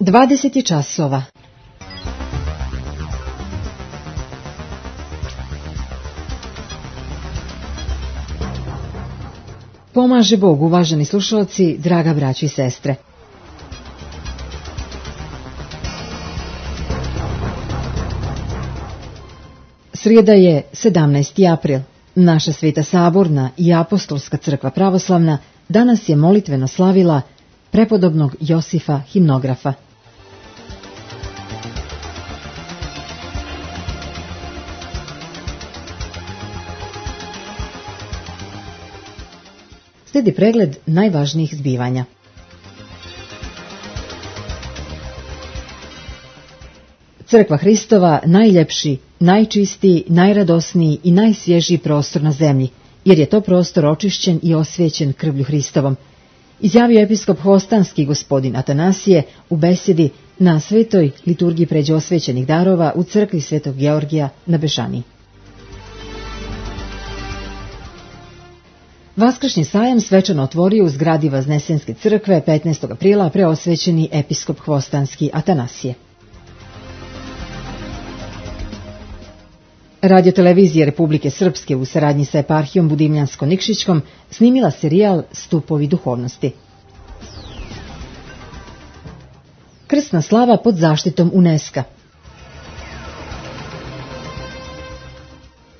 20 časova. Pomaže Bog, uvaženi slušalci, draga braćo i sestre. Srijeda je 17. april. Naša Sveta Saborna i Apostolska crkva pravoslavna danas je molitveno slavila prepodobnog Josifa Himnografa. Slijedi pregled najvažnijih zbivanja. Crkva Hristova najljepši, najčistiji, najradosniji i najsvježiji prostor na zemlji, jer je to prostor očišćen i osvjećen krvlju Hristovom, izjavio episkop Hvostanski gospodin Atanasije u besedi na svetoj liturgiji pređe osvećenih darova u crkvi Svetog Georgija na Bežaniji. Vaskršnji sajam svečano otvorio u zgradi Vaznesenske crkve 15. aprila preosvećeni episkop Hvostanski Atanasije. Radiotelevizija Republike Srpske u saradnji sa eparhijom Budimljansko-Nikšićkom snimila serijal Stupovi duhovnosti. Krsna slava pod zaštitom UNESCO.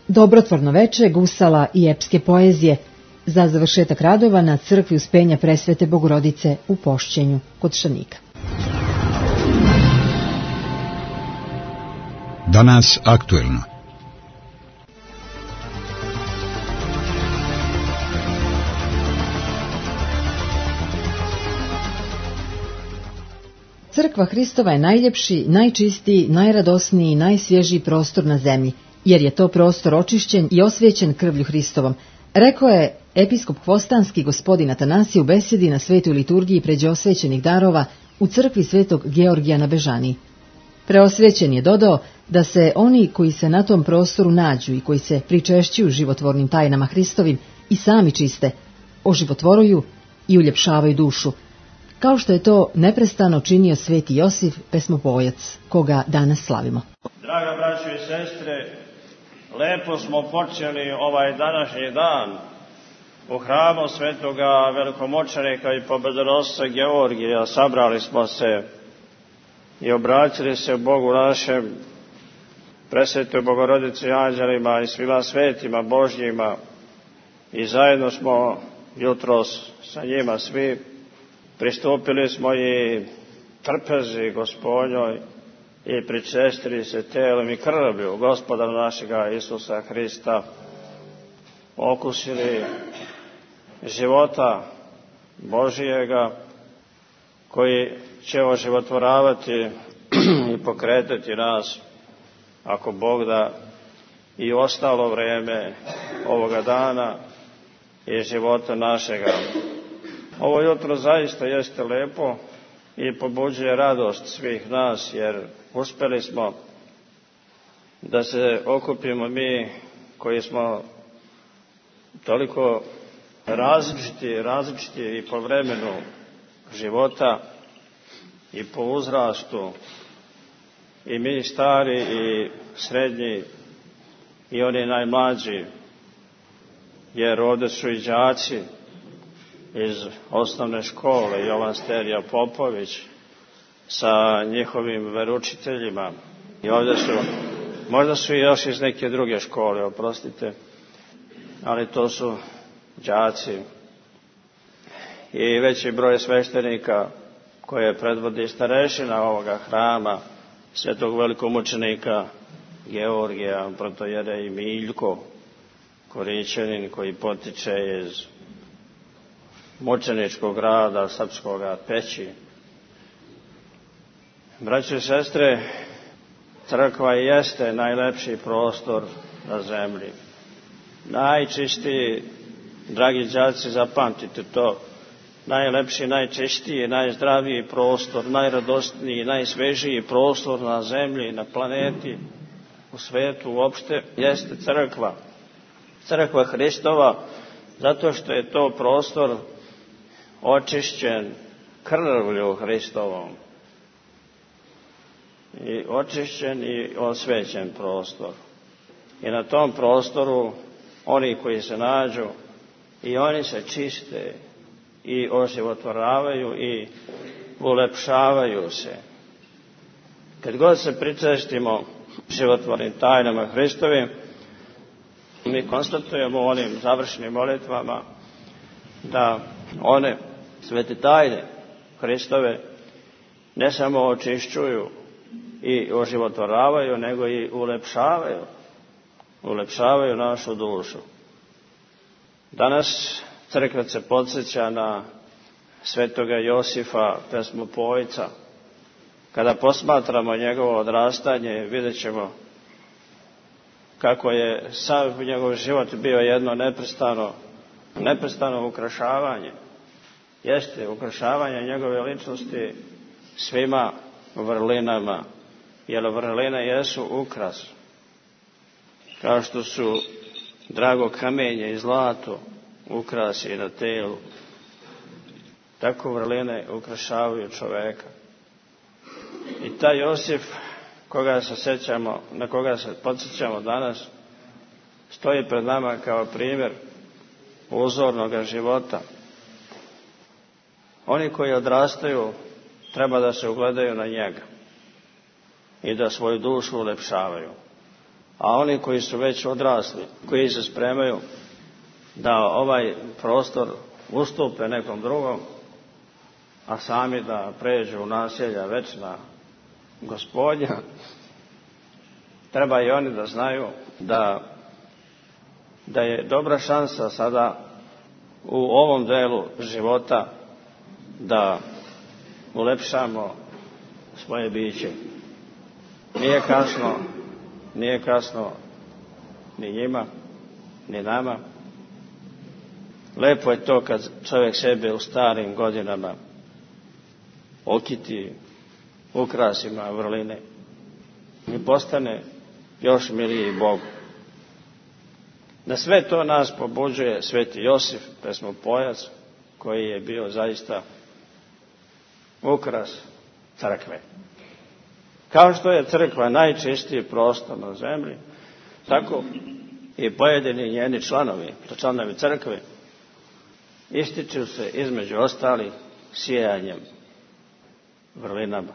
Dobrotvorno veče gusala i epske poezije za završetak radova na crkvi Uspenja Presvete Bogorodice u Pošćenju kod Šanika. Danas aktuelno. Crkva Hristova je najljepši, najčistiji, najradosniji i najsvježiji prostor na zemlji, jer je to prostor očišćen i osvjećen krvlju Hristovom, rekao je episkop Hvostanski gospodin Atanasije u besedi na svetoj liturgiji pređe osvećenih darova u crkvi Svetog Georgija na Bežaniji. Preosvećen je dodao da se oni koji se na tom prostoru nađu i koji se pričešćuju životvornim tajnama Hristovim i sami čiste, oživotvoruju i uljepšavaju dušu, kao što je to neprestano činio sveti Josif, pesmopojac, koga danas slavimo. Draga braćo i sestre, lepo smo počeli ovaj današnji dan u hramu svetoga velikomoćnika i pobedonosca Georgija. Sabrali smo se i obratili se Bogu našem, presvetoj Bogorodici, anđelima i svima svetima Božjima, i zajedno smo jutros sa njima svi pristupili smo i trpezi Gospodnjoj i pričestili se telom i krvlju Gospoda našega Isusa Hrista, okusili života Božijega koji će oživotvoravati i pokretati nas, ako Bog da, i ostalo vrijeme ovoga dana i života našega. Ovo jutro zaista jeste lepo i pobuđuje radost svih nas, jer uspjeli smo da se okupimo mi koji smo toliko različiti i po vremenu života i po uzrastu, i mi stari i srednji i oni najmlađi, jer ovdje su i đaci iz osnovne škole Jovan Sterija Popović sa njihovim veručiteljima, i ovdje su, možda su i još iz neke druge škole, oprostite, ali to su đaci, i veći broj sveštenika koje predvodi starešina ovoga hrama svetog velikomučenika Georgija, protojerej Miljko Korićanin, koji potiče iz mučeničkog grada srpskoga Peći. Braćo i sestre, crkva jeste najlepši prostor na zemlji. Najčistiji, dragi đaci, zapamtite to, najlepši, najčistiji, najzdraviji prostor, najradosniji, najsvežiji prostor na zemlji, na planeti, u svetu uopšte, jeste crkva. Crkva Hristova, zato što je to prostor očišćen krvlju Hristovom. i očišćen i osvećen prostor. I na tom prostoru oni koji se nađu i oni se čiste i oživotvoravaju i ulepšavaju se. Kad god se pričestimo životvornim tajnama Hristovim, mi konstatujemo u onim završnim molitvama da one svete tajne Hristove ne samo očišćuju i oživotvoravaju, nego i ulepšavaju našu dušu. Danas crkva se podsjeća na svetoga Josifa, pesmopojca. Kada posmatramo njegovo odrastanje, vidjet ćemo kako je sav njegov život bio jedno neprestano ukrašavanje. Jeste ukrašavanje njegove ličnosti svima vrlinama, jer vrline jesu ukras. Kao što su drago kamenje i zlato ukrasi na telu, tako vrline ukrašavaju čoveka. I taj Josif, na koga se podsjećamo danas, stoji pred nama kao primjer uzornog života. Oni koji odrastaju treba da se ugledaju na njega i da svoju dušu ulepšavaju. A oni koji su već odrasli, koji se spremaju da ovaj prostor ustupe nekom drugom, a sami da pređu u naselja večna Gospodnja, treba i oni da znaju da je dobra šansa sada u ovom delu života da ulepšamo svoje biće. Nije kasno ni njima, ni nama. Lepo je to kad čovjek sebe u starim godinama okiti ukrasima vrline i postane još miliji Bogu. Na sve to nas pobuđuje sveti Josif, pesmopojac, koji je bio zaista ukras crkve. Kao što je crkva najčistiji prostor na zemlji, tako i pojedini njeni članovi crkve, ističu se između ostalih sijanjem vrlinama.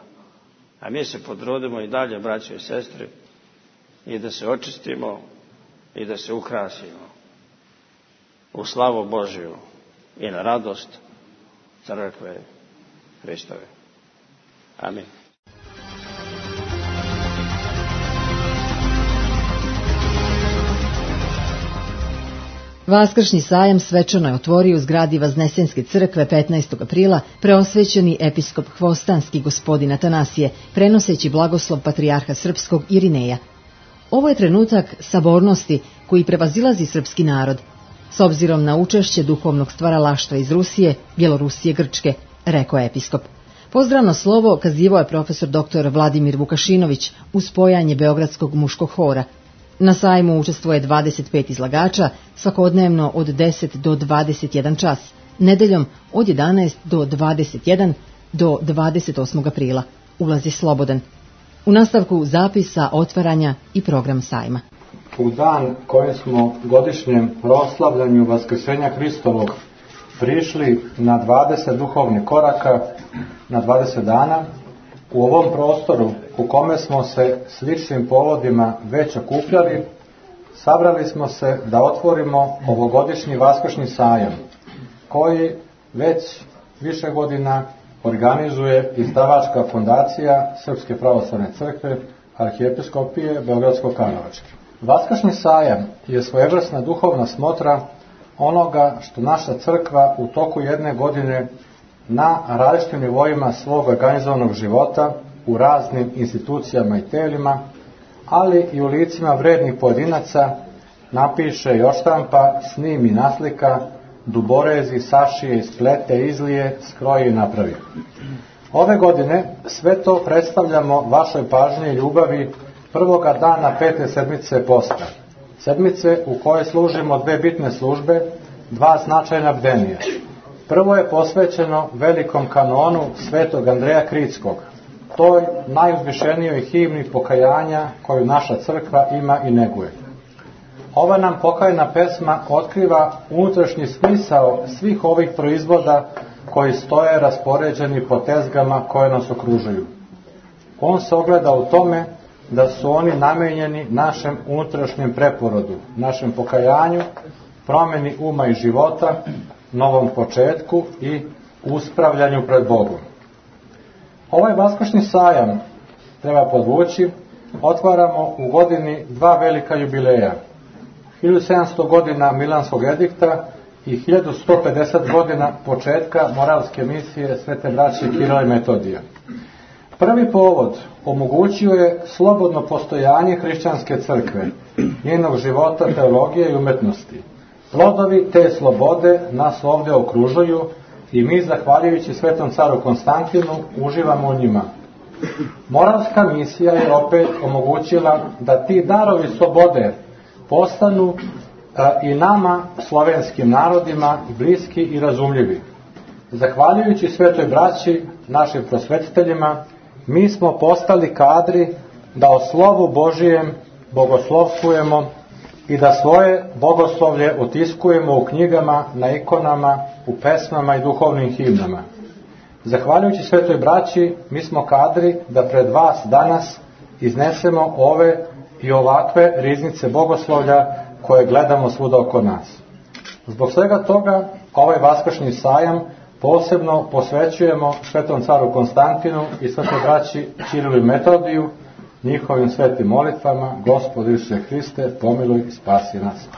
A mi se potrudimo i dalje, braće i sestre, i da se očistimo i da se ukrasimo u slavu Božiju i na radost crkve Hristove. Amin. Vaskršnji sajam svečano je otvorio u zgradi Vaznesenske crkve 15. aprila preosvećeni episkop Hvostanski gospodin Atanasije, prenoseći blagoslov patrijarha srpskog Irineja. Ovo je trenutak sabornosti koji prevazilazi srpski narod, s obzirom na učešće duhovnog stvaralaštva iz Rusije, Bjelorusije, Grčke, rekao je episkop. Pozdravno slovo kazivao je profesor dr. Vladimir Vukašinović uz pojanje Beogradskog muškog hora. Na sajmu učestvuje 25 izlagača, svakodnevno od 10 do 21 čas, nedeljom od 11 do 21 do 28. aprila. Ulaz je slobodan. U nastavku zapisa, otvaranja i program sajma. U dan kojem smo godišnjem proslavljanju Vaskrsenja Hristovog prišli na 20 duhovnih koraka, na 20 dana, u ovom prostoru u kome smo se sličnim povodima već okupljali, sabrali smo se da otvorimo ovogodišnji Vaskršnji sajam, koji već više godina organizuje izdavačka fondacija Srpske pravoslavne crkve Arhijepiskopije Beogradsko-Karlovačke. Vaskršnji sajam je svojevrsna duhovna smotra onoga što naša crkva u toku jedne godine na različitim nivoima svog organizovanog života u raznim institucijama i telima, ali i u licima vrednih pojedinaca napiše i odštampa, snimi, naslika, duborezi, sašije, isplete, izlije, skroji i napravi. Ove godine sve to predstavljamo vašoj pažnji i ljubavi prvoga dana 5. sedmice posta. Sedmice u kojoj služimo dve bitne službe, dva značajna bdenija. Prvo je posvećeno velikom kanonu svetog Andreja Kritskog, toj najuzvišenijoj himni pokajanja koju naša crkva ima i neguje. Ova nam pokajna pesma otkriva unutrašnji smisao svih ovih proizvoda koji stoje raspoređeni po tezgama koje nas okružuju. On se ogleda u tome da su oni namenjeni našem unutrašnjem preporodu, našem pokajanju, promjeni uma i života, novom početku i uspravljanju pred Bogom. Ovaj vaskršnji sajam, treba podvući, otvaramo u godini dva velika jubileja. 1700 godina Milanskog edikta i 1150 godina početka moralske misije Svete braće Kirila i Metodija. Prvi povod omogućio je slobodno postojanje hrišćanske crkve, njenog života, teologije i umetnosti. Plodovi te slobode nas ovdje okružuju i mi, zahvaljujući Svetom caru Konstantinu, uživamo u njima. Moralska misija je opet omogućila da ti darovi slobode postanu i nama, slovenskim narodima, bliski i razumljivi. Zahvaljujući Svetoj braći, našim prosvetiteljima, mi smo postali kadri da o slovu Božijem bogoslovstvujemo i da svoje bogoslovlje otiskujemo u knjigama, na ikonama, u pesmama i duhovnim himnama. Zahvaljujući Svetoj braći, mi smo kadri da pred vas danas iznesemo ove i ovakve riznice bogoslovlja koje gledamo svuda oko nas. Zbog svega toga, ovaj vaskršnji sajam posebno posvećujemo Svetom caru Konstantinu i Svetoj braći Kirilu i Metodiju, njihovim svetim molitvama. Gospod Isuse Hriste, pomiluj i spasi nas.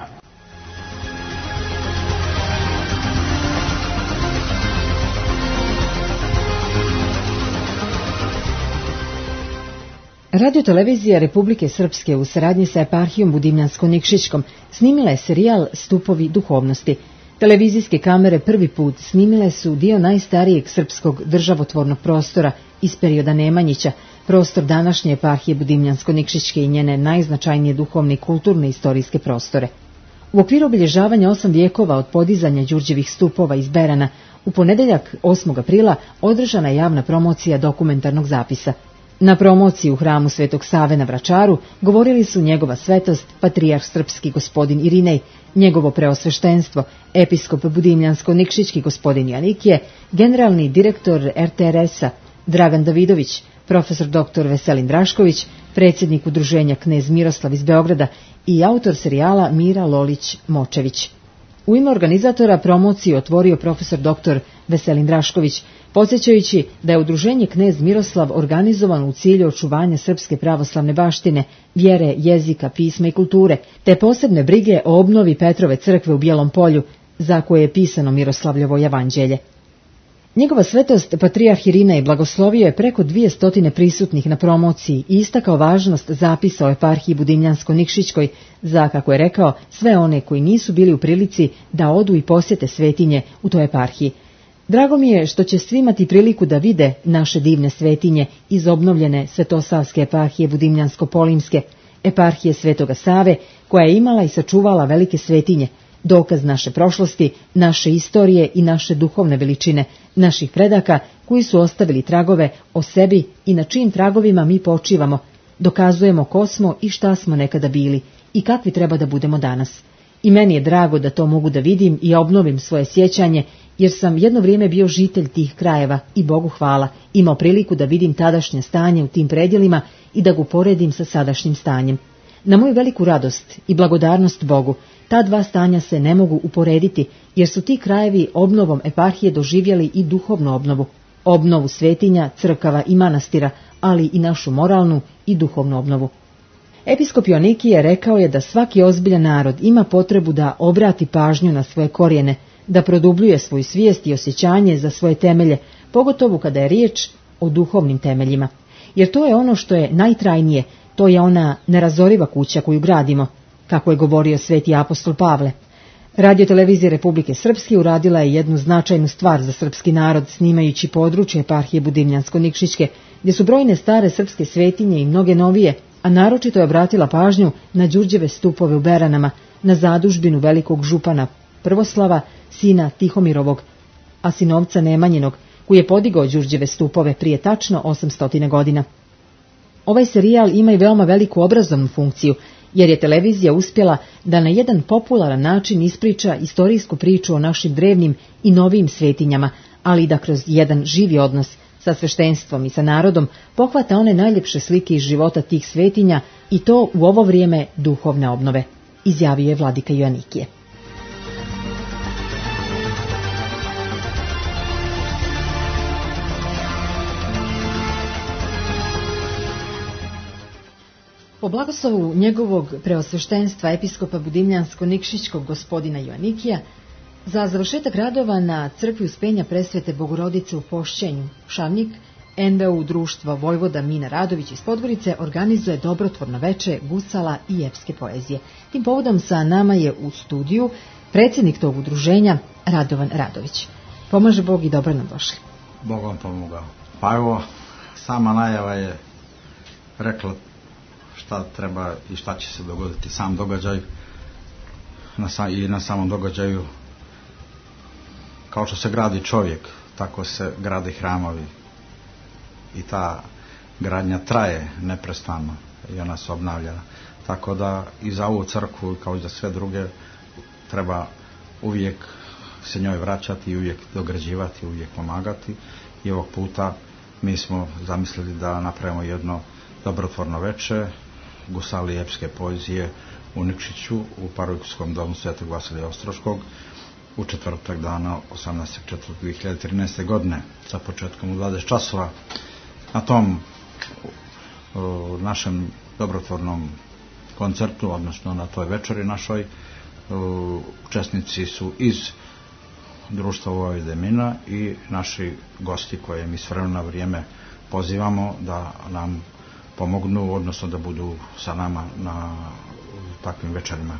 Radio-televizija Republike Srpske u saradnji sa eparhijom Budimljansko-Nikšićkom snimila je serijal Stupovi duhovnosti. Televizijske kamere prvi put snimile su dio najstarijeg srpskog državotvornog prostora iz perioda Nemanjića, prostor današnje eparhije Budimljansko-Nikšićke i njene najznačajnije duhovne i kulturne istorijske prostore. U okviru obilježavanja 8 vijekova od podizanja Đurđevih stupova iz Berana, u ponedeljak 8. aprila održana je javna promocija dokumentarnog zapisa. Na promociji u hramu Svetog Save na Vračaru govorili su njegova svetost, patrijarh srpski gospodin Irinej, njegovo preosveštenstvo, episkop Budimljansko-Nikšićki gospodin Janikije, generalni direktor RTRS-a Dragan Davidović, profesor dr. Veselin Drašković, predsjednik udruženja Knez Miroslav iz Beograda i autor serijala Mira Lolić-Močević. U ime organizatora promociju otvorio profesor dr. Veselin Drašković, podsjećajući da je udruženje Knez Miroslav organizovano u cilju očuvanja srpske pravoslavne baštine, vjere, jezika, pisma i kulture, te posebne brige o obnovi Petrove crkve u Bijelom Polju, za koje je pisano Miroslavljevo evanđelje. Njegova svetost, patrijarh Irinej, blagoslovio je preko 200 prisutnih na promociji i istakao važnost zapisa o eparhiji Budimljansko-Nikšićkoj za, kako je rekao, sve one koji nisu bili u prilici da odu i posjete svetinje u toj eparhiji. Drago mi je što će svi imati priliku da vide naše divne svetinje iz obnovljene Svetosavske eparhije Budimljansko-Polimske, eparhije Svetoga Save, koja je imala i sačuvala velike svetinje, dokaz naše prošlosti, naše istorije i naše duhovne veličine, naših predaka koji su ostavili tragove o sebi i na čijim tragovima mi počivamo, dokazujemo ko smo i šta smo nekada bili i kakvi treba da budemo danas. I meni je drago da to mogu da vidim i obnovim svoje sjećanje, jer sam jedno vrijeme bio žitelj tih krajeva i Bogu hvala, imao priliku da vidim tadašnje stanje u tim predjelima i da ga uporedim sa sadašnjim stanjem. Na moju veliku radost i blagodarnost Bogu, ta dva stanja se ne mogu uporediti, jer su ti krajevi obnovom eparhije doživjeli i duhovnu obnovu, obnovu svetinja, crkava i manastira, ali i našu moralnu i duhovnu obnovu. Episkop Joanikije rekao je da svaki ozbiljan narod ima potrebu da obrati pažnju na svoje korijene, da produbljuje svoju svijest i osjećanje za svoje temelje, pogotovo kada je riječ o duhovnim temeljima. Jer to je ono što je najtrajnije, to je ona nerazoriva kuća koju gradimo, kako je govorio sveti apostol Pavle. Radio-televizija Republike Srpske uradila je jednu značajnu stvar za srpski narod, snimajući područje eparhije Budimljansko-Nikšićke, gdje su brojne stare srpske svetinje i mnoge novije, a naročito je obratila pažnju na Đurđeve stupove u Beranama, na zadužbinu velikog župana Prvoslava, sina Tihomirovog, a sinovca Nemanjinog, koji je podigao Đurđeve stupove prije tačno 800 godina. Ovaj serijal ima i veoma veliku obrazovnu funkciju, jer je televizija uspjela da na jedan popularan način ispriča istorijsku priču o našim drevnim i novijim svetinjama, ali i da kroz jedan živi odnos sa sveštenstvom i sa narodom pohvata one najljepše slike iz života tih svetinja i to u ovo vrijeme duhovne obnove, izjavio je vladika Joanikije. Po blagoslovu njegovog preosveštenstva episkopa Budimljansko-Nikšićkog gospodina Joanikija, za završetak radova na crkvi Uspenja Presvete Bogorodice u Pošćenju, Šavnik, NBU društvo Vojvoda Mina Radović iz Podgorice organizuje dobrotvorno veče gusala i epske poezije. Tim povodom sa nama je u studiju predsjednik tog udruženja Radovan Radović. Pomaže Bog i dobro nam došli. Bog vam pomogao. Pa evo, sama najava je rekla šta treba i šta će se dogoditi. Sam događaj i na samom događaju, kao što se gradi čovjek, tako se gradi hramovi. I ta gradnja traje neprestano i ona se obnavlja. Tako da i za ovu crkvu, kao i za sve druge, treba uvijek se njoj vraćati i uvijek dograđivati, uvijek pomagati. I ovog puta mi smo zamislili da napravimo jedno dobrotvorno veče gusali epske poezije u Nikšiću u Parohijskom domu Svetog Vasilija Ostroškog u četvrtak dana 18.4.2013. godine sa početkom u 20 časova. Na tom našem dobrotvornom koncertu, odnosno na toj večeri našoj, učesnici su iz društva Vojvode Mina i naši gosti koje mi s vremena na vrijeme pozivamo da nam pomognu, odnosno da budu sa nama na takvim večerima.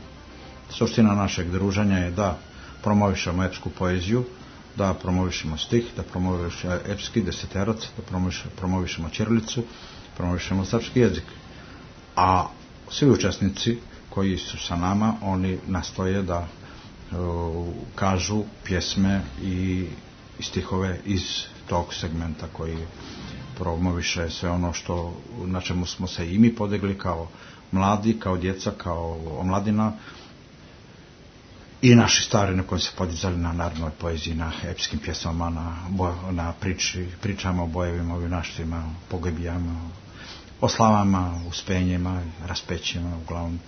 Suština našeg druženja je da promovišemo epsku poeziju, da promovišemo stih, da promovišemo epski deseterac, da promovišemo ćirilicu, promovišemo srpski jezik. A svi učesnici koji su sa nama, oni nastoje da kažu pjesme i stihove iz tog segmenta koji promoviše sve ono što, na čemu smo se i mi podigli kao mladi, kao djeca, kao omladina i naši stari na koji se podizali na narodnoj poeziji, na epskim pjesmama, na pričama o bojevima, o junaštvima, o pogibijama, o slavama, uspenjima, raspećima, uglavnom,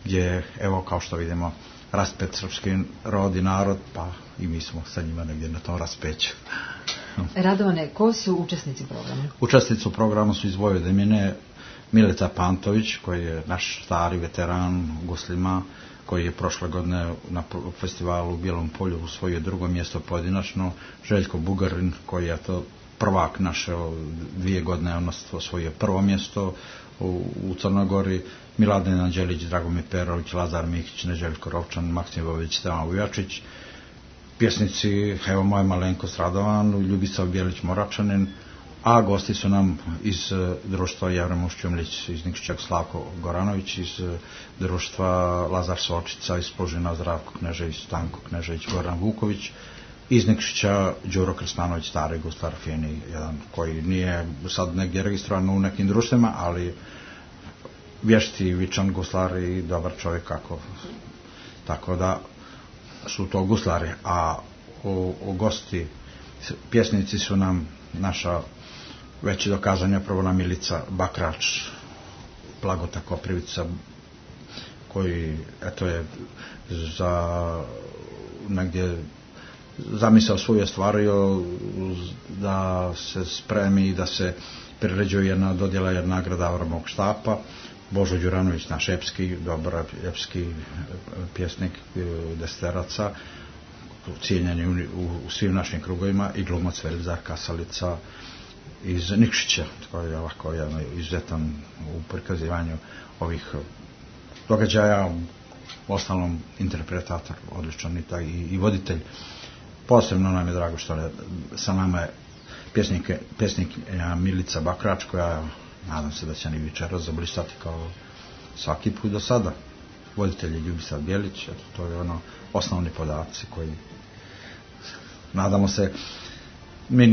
gdje, evo, kao što vidimo, raspet srpski rod i narod, pa i mi smo sa njima negdje na tom raspeću. Radovane, ko su učesnici programa? Učesnici u programu su iz Vojvode Mine Milica Pantović, koji je naš stari veteran guslima, koji je prošle godine na festivalu u Bijelom polju osvojio drugo mjesto pojedinačno, Željko Bugarin, koji je to prvak naše 2 godine, on osvojio prvo mjesto u Crnoj Gori, Miladin Anđelić, Dragomir Perović, Lazar Mikić, Neželjko Rovčan, Maksim Bović, Stevan Vujačić, pjesnici, evo moja malenkost Radovan, Ljubica Bjelić Moračanin, a gosti su nam iz društva Jevrem Ušćumlić iz Nikšića Slavko Goranović, iz društva Lazar Sočica iz Požina Zdravko Knežević, Stanko Knežević, Goran Vuković, iz Nikšića Đuro Krstanović, stari guslar fini, jedan koji nije sad negdje registrovan u nekim društvima, ali vješti, vičan guslar i dobar čovjek kako. Tako da su to guslari, a u gosti pjesnici su nam naša već dokazanja prvona Milica Bakrač, Blagota Koprivica, koji eto je za negdje zamisao svoju stvario da se spremi i da se priređuje jedna dodjela, jedna nagrada Avramovog štapa. Božo Đuranović, naš epski, dobar epski pjesnik deseteraca, cijenjeni u svim našim krugovima, i glumac Velizar Kasalica iz Nikšića, koji je ovako izuzetan u prikazivanju ovih događaja, u ostalom interpretator, odličan i voditelj. Posebno nam je drago što sa nama je pjesnik Milica Bakrač, koja nadam se da će ni večeras zablistati kao svaki put do sada. Voditelj je Ljubica Bjelić, to je osnovni podaci koji nadamo se mi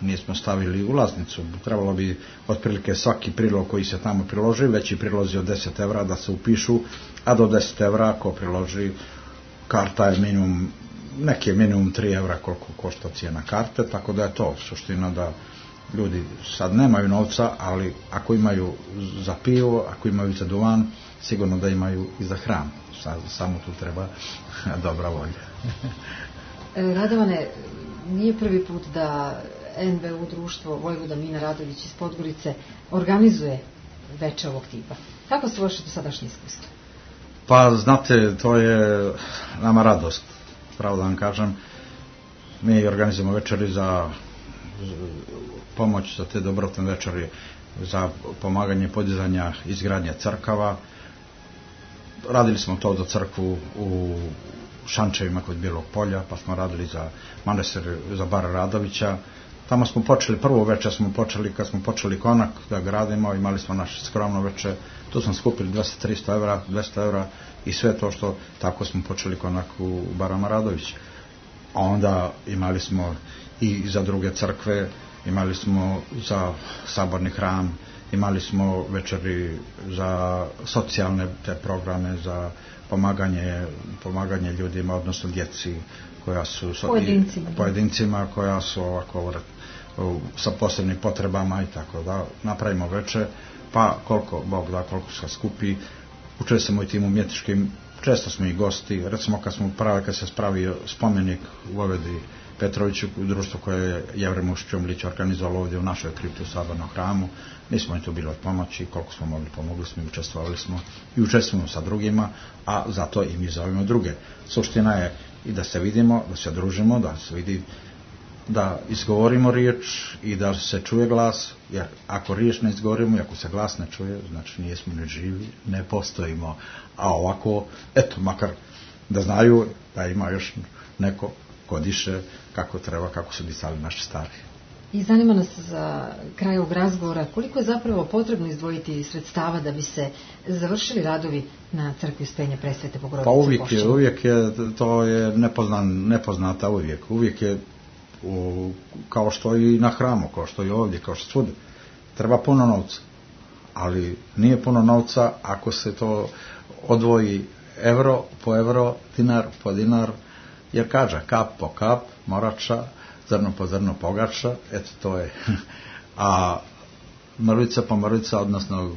nismo stavili ulaznicu. Trebalo bi otprilike svaki prilog koji se tamo priloži, veći prilozi od 10 evra da se upišu, a do 10 evra ako priloži karta je minimum, neki je minimum 3 evra koliko košta cijena karte, tako da je to suština da ljudi sad nemaju novca, ali ako imaju za pivo, ako imaju za duvan, sigurno da imaju i za hranu. Samo tu treba dobra volja. Radovane, nije prvi put da NBU društvo Vojvoda Mina Radović iz Podgorice organizuje veče ovog tipa. Kako su vaše dosadašnje iskustvo? Pa znate, to je nama radost, pravo da vam kažem. Mi organizujemo večeri za pomoć za te dobrotne večeri, za pomaganje podizanja izgradnje crkava. Radili smo to za crkvu u Šančevima kod Bijelog polja, pa smo radili za manastir za Bara Radovića. Tamo smo počeli, prvo večer smo počeli, kad smo počeli konak da gradimo, imali smo naše skromno večer, tu smo skupili 200-300 evra, 200 evra i sve to što, tako smo počeli konak u Barama Radovića. A onda imali smo i za druge crkve, imali smo za saborni hram, imali smo večeri za socijalne te programe, za pomaganje ljudima, odnosno djeci koja su pojedincima koja su ovako sa posebnim potrebama i tako da napravimo večer, pa koliko Bog da, koliko se skupi. Učestvujemo i tim umjetničkim, često smo i gosti, recimo kad se spravio spomenik Vojvodi Petroviću, društvo koje je Jevrej Mušić organizovalo ovdje u našoj kripti u Sabornom hramu, mi smo i tu bili od pomoći, koliko smo mogli pomogli smo i učestvovali smo i učestvujemo sa drugima, a zato i mi zovemo druge. Suština je i da se vidimo, da se družimo, da se vidi, da izgovorimo riječ i da se čuje glas, jer ako riječ ne izgovorimo i ako se glas ne čuje, znači nijesmo ni živi, ne postojimo. A ovako, eto, makar da znaju da ima još neko ko diše kako treba, kako su disali naši stari. I zanima nas za kraj ovog razgovora koliko je zapravo potrebno izdvojiti sredstava da bi se završili radovi na crkvi Uspenja Presvete Bogorodice Pošćene. Pa uvijek je, to je nepoznata uvijek je kao što i na hramu, kao što i ovdje, kao što svudi. Treba puno novca, ali nije puno novca ako se to odvoji euro po euro, dinar po dinar, jer kaže kap po kap, morača, zrno po zrno pogača, eto to je. A mrvica po mrvica, odnosno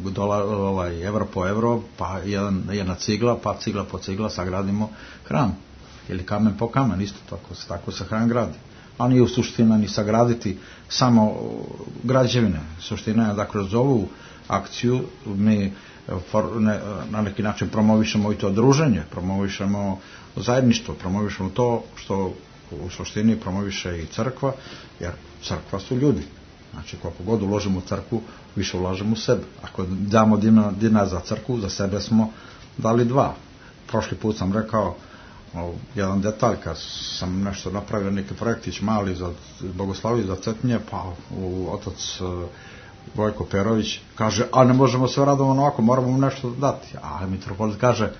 euro po euro, pa jedna cigla, pa cigla po cigla sagradimo hram. Ili kamen po kamen, isto tako se hram gradi. A nije u suština ni sagraditi samo građevine. Suština je da kroz ovu akciju mi na neki način promovišemo i to druženje, promovišemo zajedništvo, promovišemo to što u suštini promoviše i crkva, jer crkva su ljudi. Znači koliko god uložimo u crkvu, više ulažemo u sebe. Ako damo dinar za crkvu, za sebe smo dali 2. Prošli put sam rekao jedan detalj, kad sam nešto napravio, neki projektić mali za Bogoslaviju, za Cetinje, pa otac Vojko Perović kaže, a ne možemo sve radovati ovako, moramo mu nešto dati. A mitropolit kaže,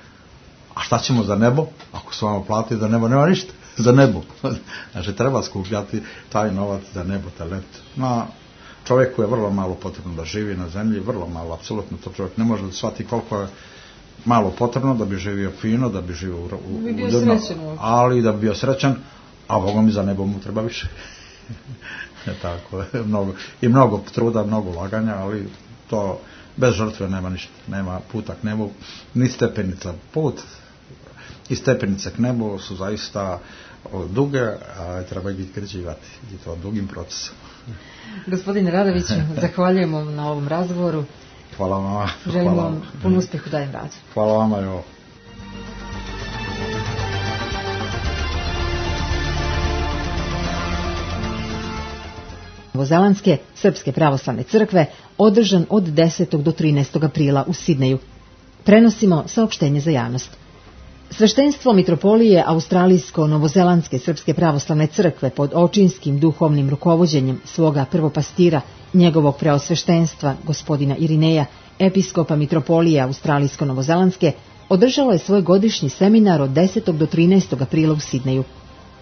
a šta ćemo za nebo? Ako se vama plati za nebo, nema ništa za nebo. Znači treba skupljati taj novac za nebo, talet. Na čovjeku je vrlo malo potrebno da živi na zemlji, vrlo malo, apsolutno to čovjek ne može da shvati koliko je malo potrebno da bi živio fino, da bi živio ali da bi bio srećan, a Bogom i za nebo mu treba više. Tako, mnogo truda, mnogo ulaganja, ali to bez žrtve nema ništa, nema puta k nebu, ni stepenica. Put i stepenice k nebu su zaista duge, a treba ih izgrađivati i to dugim procesom. Gospodine Radoviću, zahvaljujemo na ovom razgovoru. Hvala vama. Želim vam pun uspjeh u daljem radu. Hvala vama, jo. Novozelandske srpske pravoslavne crkve održan od 10. do 13. aprila u Sidneju. Prenosimo saopštenje za javnost. Sveštenstvo mitropolije Australijsko-Novozelandske srpske pravoslavne crkve pod očinskim duhovnim rukovođenjem svoga prvopastira, njegovog preosveštenstva, gospodina Irineja, episkopa mitropolije Australijsko-Novozelandske, održalo je svoj godišnji seminar od 10. do 13. aprila u Sidneju.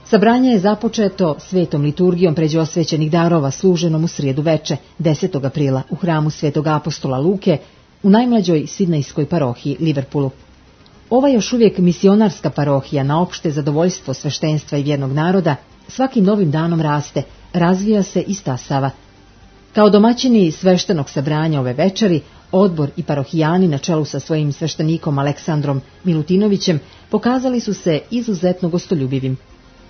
Sabranje je započeto svetom liturgijom pređe osvećenih darova služenom u srijedu veče, 10. aprila, u hramu svetog apostola Luke, u najmlađoj sidnejskoj parohiji Liverpoolu. Ova još uvijek misionarska parohija na opšte zadovoljstvo sveštenstva i vjernog naroda svakim novim danom raste, razvija se i stasava. Kao domaćini sveštenog sabranja ove večeri, odbor i parohijani na čelu sa svojim sveštenikom Aleksandrom Milutinovićem pokazali su se izuzetno gostoljubivim.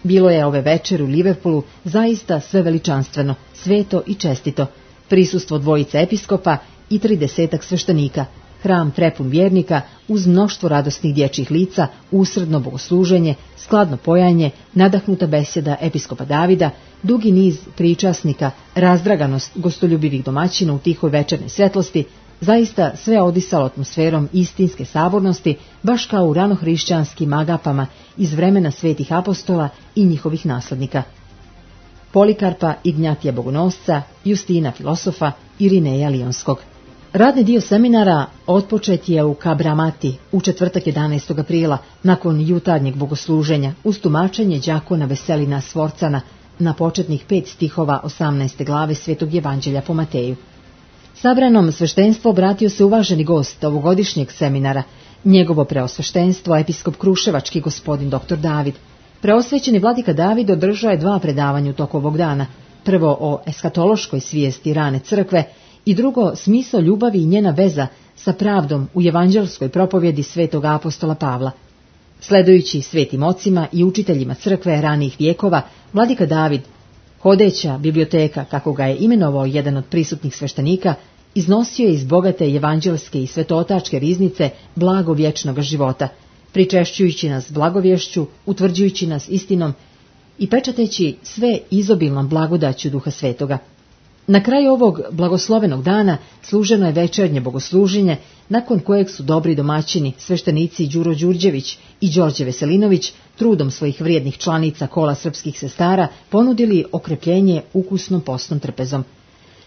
Bilo je ove večeri u Liverpoolu zaista sve veličanstveno, sveto i čestito. Prisustvo dvojice episkopa i 30 sveštenika, hram prepun vjernika uz mnoštvo radosnih dječjih lica, usredno bogosluženje, skladno pojanje, nadahnuta besjeda episkopa Davida, dugi niz pričasnika, razdraganost gostoljubivih domaćina u tihoj večernoj svetlosti, zaista sve odisalo atmosferom istinske sabornosti, baš kao u ranohrišćanskim agapama iz vremena svetih apostola i njihovih naslednika. Polikarpa, Ignjatija Bogonosca, Justina Filosofa, Irineja Lionskog. Radni dio seminara otpočet je u Kabramati u četvrtak 11. aprila nakon jutarnjeg bogosluženja uz tumačenje đakona Veselina Svorcana na početnih 5 stihova 18. glave Svetog Evanđelja po Mateju. Sabranom sveštenstvo obratio se uvaženi gost ovogodišnjeg seminara, njegovo preosveštenstvo, episkop Kruševački gospodin dr. David. Preosvećeni vladika David održao je 2 predavanja u toku ovog dana, prvo o eskatološkoj svijesti rane crkve i drugo smisao ljubavi i njena veza sa pravdom u evanđelskoj propovjedi svetog apostola Pavla. Sledujući svetim ocima i učiteljima crkve ranih vijekova, vladika David, hodeća biblioteka, kako ga je imenovao jedan od prisutnih sveštenika, iznosio je iz bogate evanđelske i svetotačke riznice blago vječnog života, pričešćujući nas blagovješću, utvrđujući nas istinom i pečateći sve izobilnom blagodaću Duha Svetoga. Na kraju ovog blagoslovenog dana služeno je večernje bogosluženje, nakon kojeg su dobri domaćini, sveštenici Đuro Đurđević i Đorđe Veselinović, trudom svojih vrijednih članica kola srpskih sestara, ponudili okrepljenje ukusnom postnom trpezom.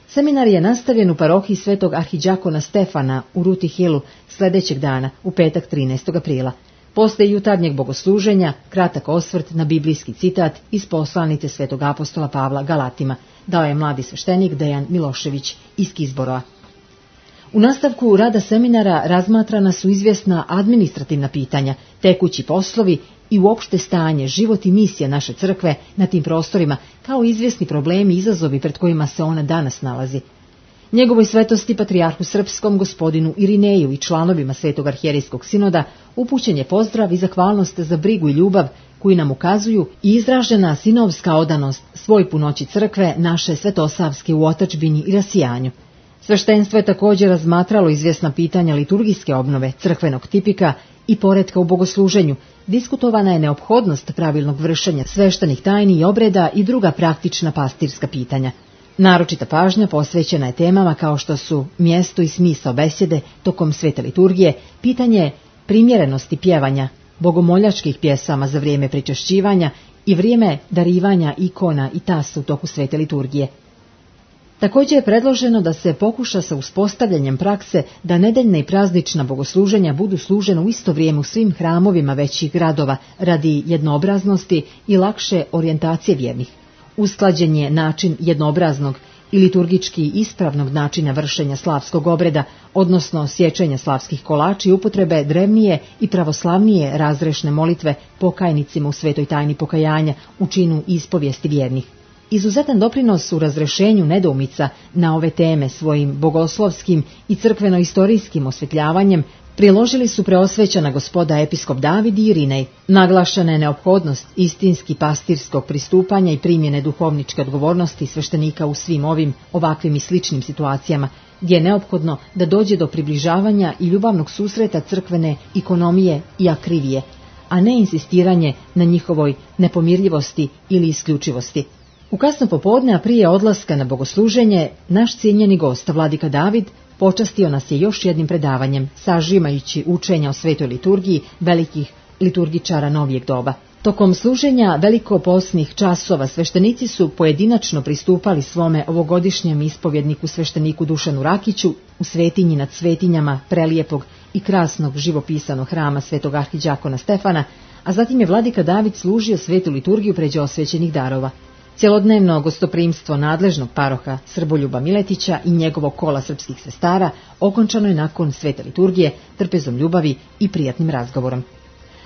Seminar je nastavljen u parohiji svetog arhiđakona Stefana u Ruti Hillu sljedećeg dana, u petak 13. aprila. Posle jutarnjeg bogosluženja, kratak osvrt na biblijski citat iz poslanice svetog apostola Pavla Galatima, dao je mladi sveštenik Dejan Milošević iz Kizborova. U nastavku rada seminara razmatrana su izvjesna administrativna pitanja, tekući poslovi i uopšte stanje, život i misija naše crkve na tim prostorima, kao izvjesni problemi i izazovi pred kojima se ona danas nalazi. Njegovoj svetosti patrijarhu srpskom gospodinu Irineju i članovima Svetog arhijerijskog sinoda upućen je pozdrav i zahvalnost za brigu i ljubav koju nam ukazuju i izražena sinovska odanost svoj punoći crkve naše svetosavske u otadžbini i rasijanju. Sveštenstvo je također razmatralo izvjesna pitanja liturgijske obnove, crkvenog tipika i poretka u bogosluženju. Diskutovana je neophodnost pravilnog vršenja sveštenih tajni i obreda i druga praktična pastirska pitanja. Naročita pažnja posvećena je temama kao što su mjesto i smisao besjede tokom svete liturgije, pitanje primjerenosti pjevanja, bogomoljačkih pjesama za vrijeme pričešćivanja i vrijeme darivanja ikona i tasa u toku svete liturgije. Također je predloženo da se pokuša sa uspostavljanjem prakse da nedeljna i praznična bogosluženja budu služena u isto vrijeme u svim hramovima većih gradova radi jednoobraznosti i lakše orijentacije vjernih. Usklađen je način jednoobraznog i liturgički ispravnog načina vršenja slavskog obreda, odnosno sječenja slavskih kolača i upotrebe drevnije i pravoslavnije razrešne molitve pokajnicima u svetoj tajni pokajanja u činu ispovijesti vjernih. Izuzetan doprinos u razrešenju nedoumica na ove teme svojim bogoslovskim i crkveno-istorijskim osvjetljavanjem priložili su preosvećena gospoda episkop David i Irinej. Naglašena je neophodnost istinski pastirskog pristupanja i primjene duhovničke odgovornosti sveštenika u svim ovim, ovakvim i sličnim situacijama, gdje je neophodno da dođe do približavanja i ljubavnog susreta crkvene ikonomije i akrivije, a ne insistiranje na njihovoj nepomirljivosti ili isključivosti. U kasno popodne, a prije odlaska na bogosluženje, naš cijenjeni gost, vladika David, počastio nas je još jednim predavanjem, sažimajući učenja o svetoj liturgiji velikih liturgičara novijeg doba. Tokom služenja velikoposnih časova sveštenici su pojedinačno pristupali svome ovogodišnjem ispovjedniku svešteniku Dušanu Rakiću u svetinji nad svetinjama prelijepog i krasnog živopisanog hrama svetog arhiđakona Stefana, a zatim je vladika David služio svetu liturgiju pređe osvećenih darova. Cjelodnevno gostoprimstvo nadležnog paroha Srboljuba Miletića i njegovog kola srpskih sestara okončano je nakon svete liturgije trpezom ljubavi i prijatnim razgovorom.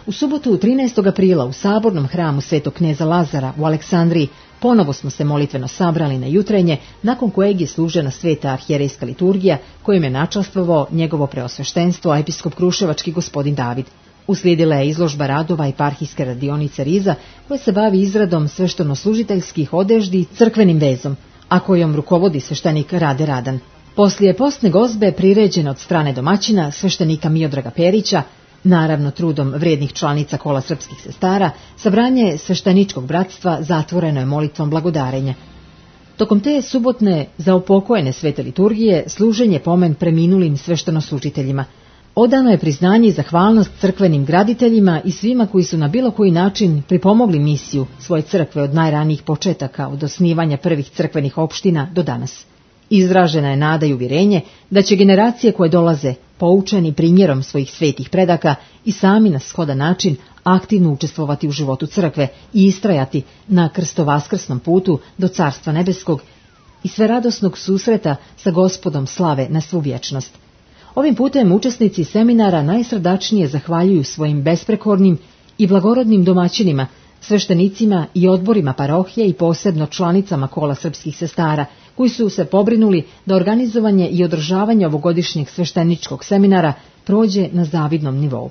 U subotu 13. aprila u sabornom hramu Svetog kneza Lazara u Aleksandriji ponovo smo se molitveno sabrali na jutrenje, nakon kojeg je služena sveta arhijerejska liturgija kojim je načastvovao njegovo preosveštenstvo episkop kruševački gospodin David. Uslijedila je izložba radova eparhijske radionice Riza koja se bavi izradom sveštenoslužiteljskih odeždi i crkvenim vezom, a kojom rukovodi sveštenik Rade Radan. Poslije postne gozbe priređene od strane domaćina sveštenika Miodraga Perića, naravno trudom vrijednih članica kola srpskih sestara, sabranje svešteničkog bratstva zatvoreno je molitvom blagodarenja. Tokom te subotne zaopokojene svete liturgije služenje pomen preminulim sveštenoslužiteljima. Odano je priznanje i zahvalnost crkvenim graditeljima i svima koji su na bilo koji način pripomogli misiju svoje crkve od najranijih početaka, od osnivanja prvih crkvenih opština do danas. Izražena je nada i uvjerenje da će generacije koje dolaze, poučeni primjerom svojih svetih predaka, i sami na shodan način aktivno učestvovati u životu crkve i istrajati na krstovaskrsnom putu do Carstva nebeskog i sveradosnog susreta sa Gospodom slave na svu vječnost. Ovim putem učesnici seminara najsrdačnije zahvaljuju svojim besprekornim i blagorodnim domaćinima, sveštenicima i odborima parohije i posebno članicama kola srpskih sestara, koji su se pobrinuli da organizovanje i održavanje ovogodišnjeg svešteničkog seminara prođe na zavidnom nivou.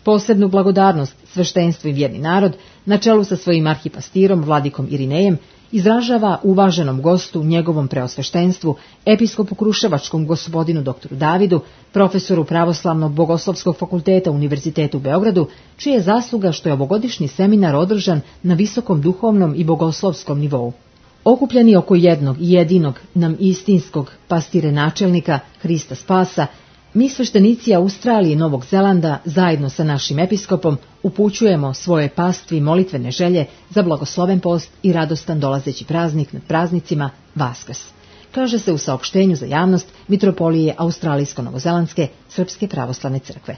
Posebnu blagodarnost sveštenstvo i vjerni narod, na čelu sa svojim arhipastirom Vladikom Irinejem, izražava uvaženom gostu, njegovom preosveštenstvu, episkopu kruševačkom gospodinu doktoru Davidu, profesoru Pravoslavnog bogoslovskog fakulteta Univerzitetu u Beogradu, čija je zasluga što je ovogodišnji seminar održan na visokom duhovnom i bogoslovskom nivou. Okupljeni oko jednog i jedinog nam istinskog pastire načelnika Hrista Spasa, mi sveštenici Australije i Novog Zelanda zajedno sa našim episkopom upućujemo svoje pastvi molitvene želje za blagosloven post i radostan dolazeći praznik nad praznicima Vaskrs, kaže se u saopštenju za javnost Mitropolije Australijsko-Novozelandske Srpske pravoslavne crkve.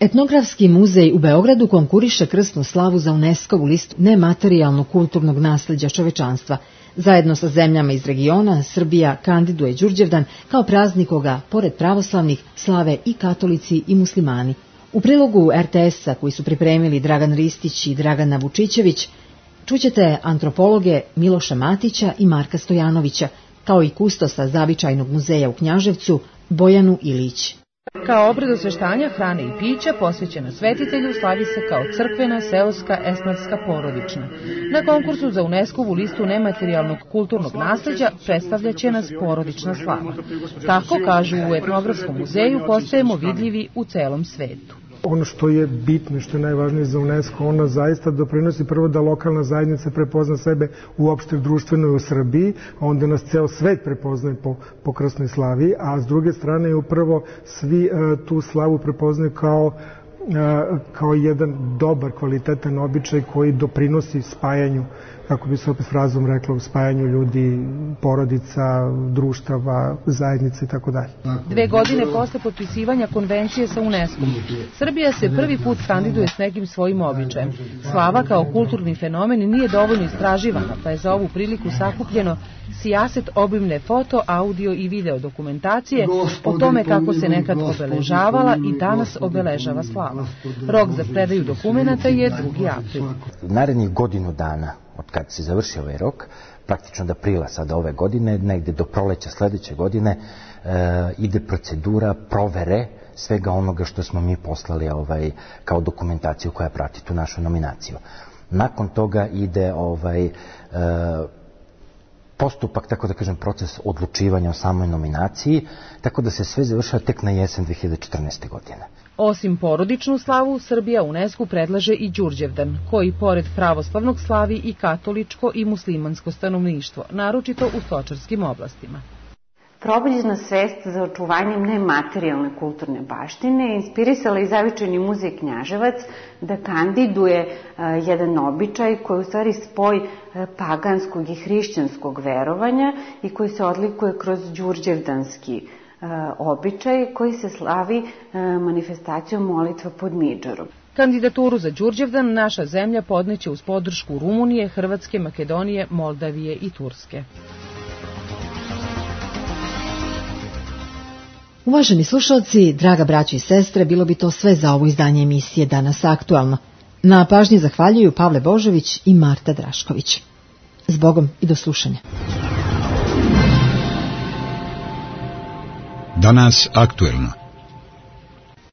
Etnografski muzej u Beogradu konkuriše krsnu slavu za UNESCO-vu listu nematerijalnog kulturnog nasljeđa čovečanstva. Zajedno sa zemljama iz regiona, Srbija kandiduje Đurđevdan kao praznik koga, pored pravoslavnih, slave i katolici i muslimani. U prilogu RTS-a koji su pripremili Dragan Ristić i Dragana Vučićević, čućete antropologe Miloša Matića i Marka Stojanovića, kao i kustosa Zavičajnog muzeja u Knjaževcu Bojanu Ilić. Kao obred osveštanja hrane i pića posvećena svetitelju slavi se kao crkvena, seoska, esnafska, porodična. Na konkursu za UNESCO-vu listu nematerijalnog kulturnog nasljeđa predstavljaće nas porodična slava. Tako, kažu u Etnografskom muzeju, postajemo vidljivi u celom svetu. Ono što je bitno i što je najvažnije za UNESCO, ona zaista doprinosi prvo da lokalna zajednica prepozna sebe uopšte društveno u Srbiji, a onda nas ceo svet prepoznaje po krsnoj slavi, a s druge strane upravo svi tu slavu prepoznaju kao jedan dobar, kvalitetan običaj koji doprinosi spajanju, kako bi se opet frazom reklo, spajanju ljudi, porodica, društava, zajednice i tako dalje. 2 godine posle potpisivanja konvencije sa UNESCO-om, Srbija se prvi put kandiduje s nekim svojim običajem. Slava kao kulturni fenomen nije dovoljno istraživana, pa je za ovu priliku sakupljeno sijaset obimne foto, audio i video dokumentacije o tome kako se nekad obeležavala i danas obeležava slava. Rok za predaju dokumenata je 2. april. Narednih godinu dana od kad se završi ovaj rok, praktično do aprila sada ove godine, negde do proleća sledeće godine, ide procedura provere svega onoga što smo mi poslali kao dokumentaciju koja prati tu našu nominaciju. Nakon toga ide postupak, tako da kažem, proces odlučivanja o samoj nominaciji, tako da se sve završava tek na jesen 2014. godine. Osim porodičnu slavu, Srbija UNESCO predlaže i Đurđevdan, koji pored pravoslavnog slavi i katoličko i muslimansko stanovništvo, naročito u stočarskim oblastima. Probuđena svest za očuvanjem nematerijalne kulturne baštine inspirisala i zavičajni muzej Knjaževac da kandiduje jedan običaj koji je u stvari spoj paganskog i hrišćanskog verovanja i koji se odlikuje kroz đurđevdanski običaj koji se slavi manifestacijom molitva pod midžarom. Kandidaturu za Đurđevdan naša zemlja podneće uz podršku Rumunije, Hrvatske, Makedonije, Moldavije i Turske. Uvaženi slušalci, draga braćo i sestre, bilo bi to sve za ovo izdanje emisije Danas aktualno. Na pažnji zahvaljuju Pavle Božović i Marta Drašković. Zbogom i do slušanja. Danas aktuelno.